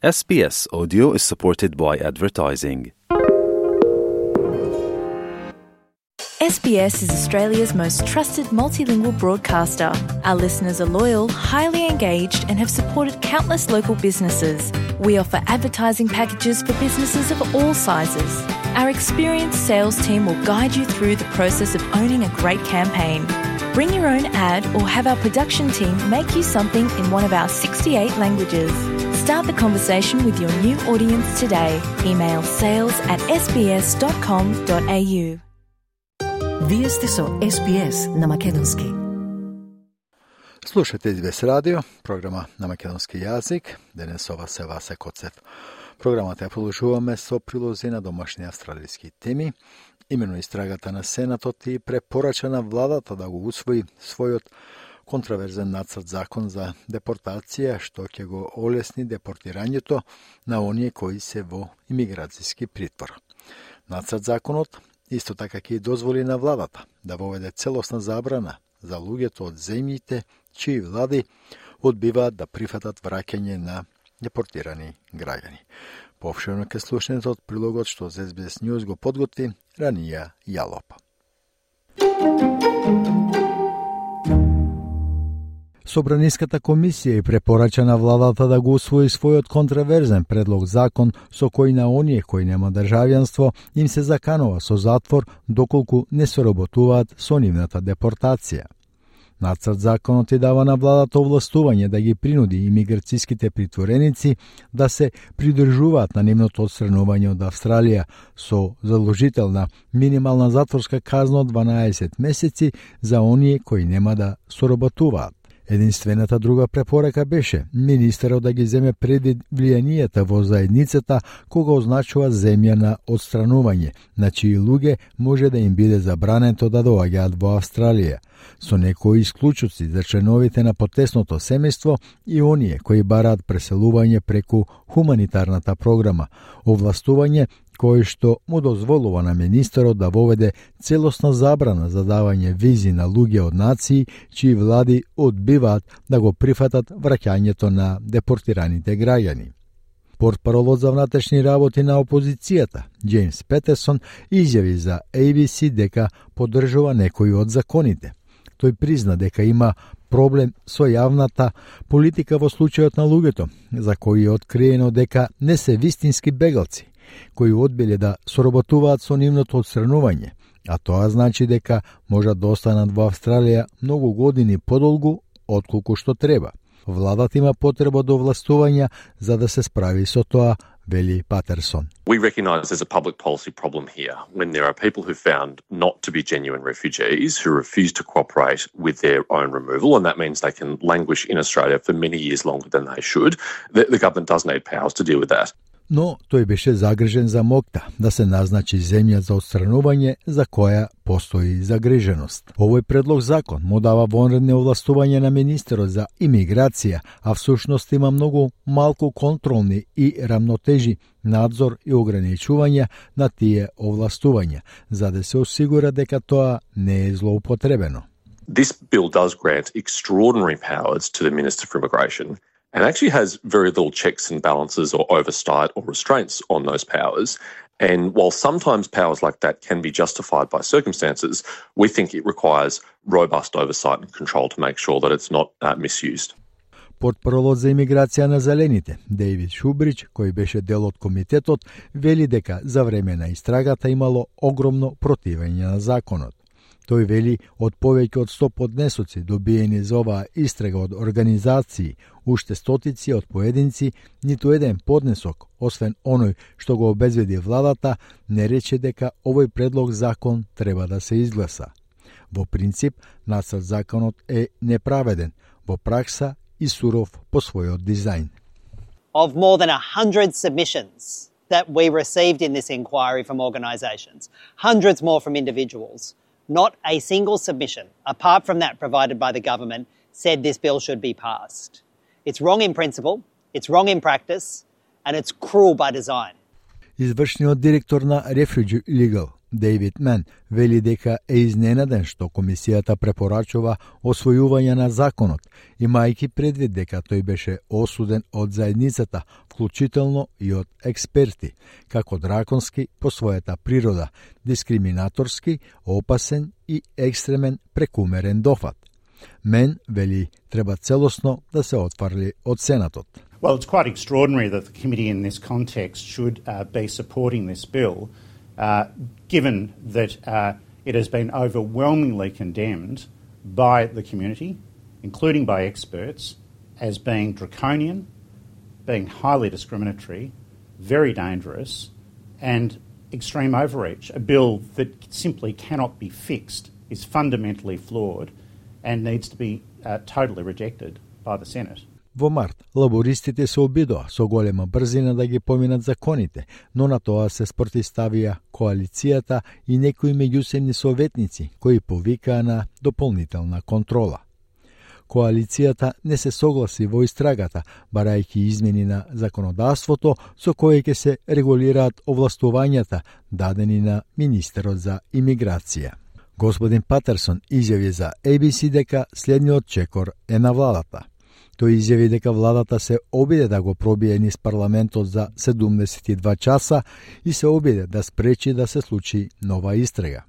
SBS Audio is supported by advertising. SBS is Australia's most trusted multilingual broadcaster. Our listeners are loyal, highly engaged, and have supported countless local businesses. We offer advertising packages for businesses of all sizes. Our experienced sales team will guide you through the process of owning a great campaign. Bring your own ad or have our production team make you something in one of our 68 languages. Start the conversation with your new audience today. Email sales@sbs.com.au. Вие сте со SBS на македонски. Слушате SBS радио, програма на македонски јазик. Денес ова се Васе Коцев. Програмата ја продолжуваме со прилози на домашни австралиски теми. Имено истрагата на Сенатот и препорача на владата да го усвои својот контраверзен нацрт закон за депортација, што ќе го олесни депортирањето на оние кои се во имиграцијски притвор. Нацрт законот исто така ќе дозволи на владата да воведе целосна забрана за луѓето од земјите чии влади одбиваат да прифатат враќање на депортирани граѓани. Повшено ке слушнете од прилогот што SBS News го подготви Ранија Јалоп. Собраниската комисија и препорача на владата да го усвои својот контраверзен предлог закон со кој на оние кои нема државјанство им се заканува со затвор доколку не соработуваат со нивната депортација. Нацрт законот и дава на владата овластување да ги принуди имиграцијските притвореници да се придржуваат на нивното отстранување од Австралија со задолжителна минимална затворска казна од 12 месеци за оние кои нема да соработуваат. Единствената друга препорака беше министерот да ги земе предвид влијанието во заедницата кога означува земја на отстранување, на чии луѓе може да им биде забрането да доаѓаат во Австралија, со некои исклучоци за членовите на потесното семејство и оние кои бараат преселување преку хуманитарната програма, овластување кој што му дозволува на министерот да воведе целосна забрана за давање визи на луѓе од нации чии влади одбиваат да го прифатат враќањето на депортираните граѓани. Портпаролот за внатрешни работи на опозицијата, Джеймс Петерсон, изјави за ABC дека поддржува некои од законите. Тој призна дека има проблем со јавната политика во случајот на луѓето, за кои е откриено дека не се вистински бегалци, кои одбиле да соработуваат со нивното отстранување, а тоа значи дека можат да останат во Австралија многу години подолгу отколку што треба. Владата има потреба до овластувања за да се справи со тоа, вели Патерсон. We recognise there's a public policy problem here when there are people who found not to be genuine refugees who refuse to cooperate with their own removal, and that means they can languish in Australia for many years longer than they should. The government does need powers to deal with that. Но тој беше загрижен за моќта да се назначи земја за отстранување за која постои загриженост. Овој предлог закон му дава вонредни овластување на министерот за имиграција, а всушност има многу малку контролни и рамнотежи, надзор и ограничувања на тие овластувања, за да се осигура дека тоа не е злоупотребено. This bill does grant extraordinary powers to the Minister for Immigration, and actually has very little checks and balances or oversight or restraints on those powers. And while sometimes powers like that can be justified by circumstances, we think it requires robust oversight and control to make sure that it's not misused. Портпаролот за имиграција на Зелените, Дейвид Шубрич, кој беше дел од комитетот, вели дека за време на истрагата имало огромно противење на законот. Тој вели од повеќе од 100 поднесоци добиени за оваа истрага од организации, уште стотици од поединци, ниту еден поднесок, освен оној што го обезбеди владата, не рече дека овој предлог закон треба да се изгласа. Во принцип, нацрт законот е неправеден, во пракса и суров по својот дизајн. Of more than 100 submissions that we received in this inquiry from organisations, hundreds more from individuals, not a single submission, apart from that provided by the government, said this bill should be passed. It's wrong in principle, it's wrong in practice, and it's cruel by design. Извршниот директор на Refugee Legal, Дейвид Мен вели дека е изненаден што комисијата препорачува освојување на законот, имајќи предвид дека тој беше осуден од заедницата, вклучително и од експерти, како драконски по својата природа, дискриминаторски, опасен и екстремен прекумерен дофат. Мен вели треба целосно да се отфарли од Сенатот. Well, it's quite extraordinary that the committee in this context should be supporting this bill, given that it has been overwhelmingly condemned by the community, including by experts, as being draconian, being highly discriminatory, very dangerous, and extreme overreach. A bill that simply cannot be fixed, is fundamentally flawed, and needs to be totally rejected by the Senate. Во март, лабористите се обидоа со голема брзина да ги поминат законите, но на тоа се спротивставија коалицијата и некои меѓусебни советници кои повикаа на дополнителна контрола. Коалицијата не се согласи во истрагата, барајќи измени на законодавството со кое ќе се регулираат овластувањата дадени на министерот за имиграција. Господин Патерсон изјави за ABC дека следниот чекор е на владата. Тој изјави дека владата се обиде да го пробие низ парламентот за 72 часа и се обиде да спречи да се случи нова истрага.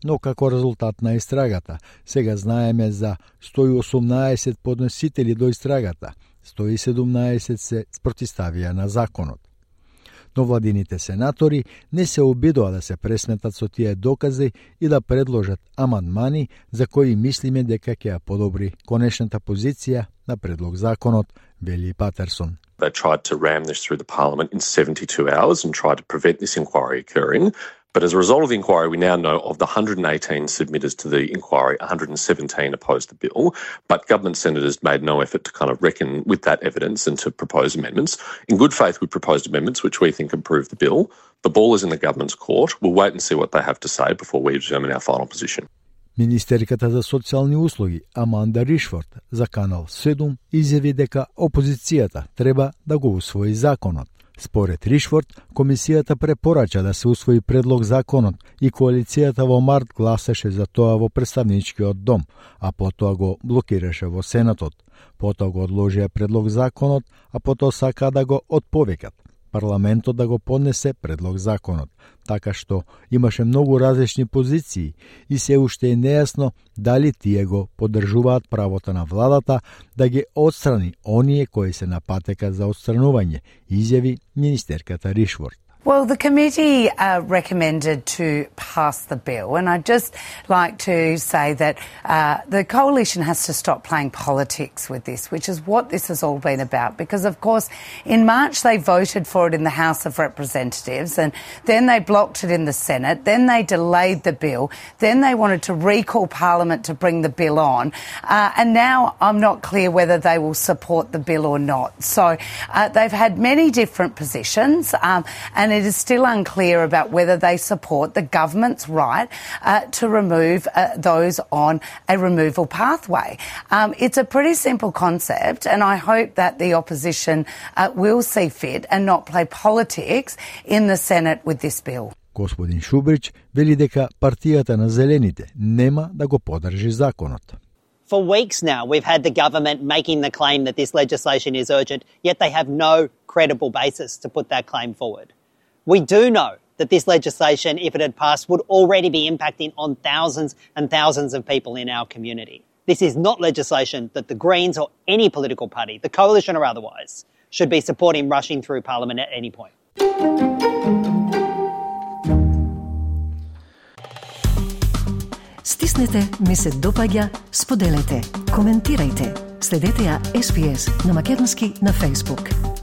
Но како резултат на истрагата, сега знаеме за 118 подносители до истрагата, 117 се спротивставија на законот. Но владините сенатори не се обидоа да се пресметат со тие докази и да предложат амандмани за кои мислиме дека ќе ја подобри конечната позиција на предлог законот, вели Патерсон. They tried to ram this through the parliament in 72 hours and tried to prevent this inquiry occurring. But as a result of the inquiry, we now know of the 118 submitters to the inquiry, 117 opposed the bill, but government senators made no effort to kind of reckon with that evidence and to propose amendments. In good faith, we proposed amendments which we think improve the bill. The ball is in the government's court. We'll wait and see what they have to say before we determine our final position. Министерката за социјални услуги Аманда Ришфорд за Канал 7 изјави дека опозицијата треба да го усвои законот. Според Ришфорд, комисијата препорача да се усвои предлог законот и коалицијата во март гласаше за тоа во представничкиот дом, а потоа го блокираше во Сенатот. Потоа го одложија предлог законот, а потоа сака да го отповикат. Парламентот да го поднесе предлог законот, така што имаше многу различни позиции и се уште е нејасно дали тие го поддржуваат правото на владата да ги отстрани оние кои се на патека за отстранување, изјави министерката Ришфорд. Well, the committee recommended to pass the bill, and I'd just like to say that the coalition has to stop playing politics with this, which is what this has all been about. Because, of course, in March they voted for it in the House of Representatives, and then they blocked it in the Senate, then they delayed the bill, then they wanted to recall Parliament to bring the bill on, and now I'm not clear whether they will support the bill or not. So they've had many different positions, and it is still unclear about whether they support the government's right to remove those on a removal pathway. It's a pretty simple concept, and I hope that the opposition will see fit and not play politics in the Senate with this bill. Господин Шубрич вели дека партијата на Зелените нема да го поддржи законот. For weeks now, we've had the government making the claim that this legislation is urgent, yet they have no credible basis to put that claim forward. We do know that this legislation, if it had passed, would already be impacting on thousands and thousands of people in our community. This is not legislation that the Greens or any political party, the coalition or otherwise, should be supporting rushing through Parliament at any point. Стиснете, ми се допаѓа, споделете, коментирајте. Следете ја SPS на Македонски на Facebook.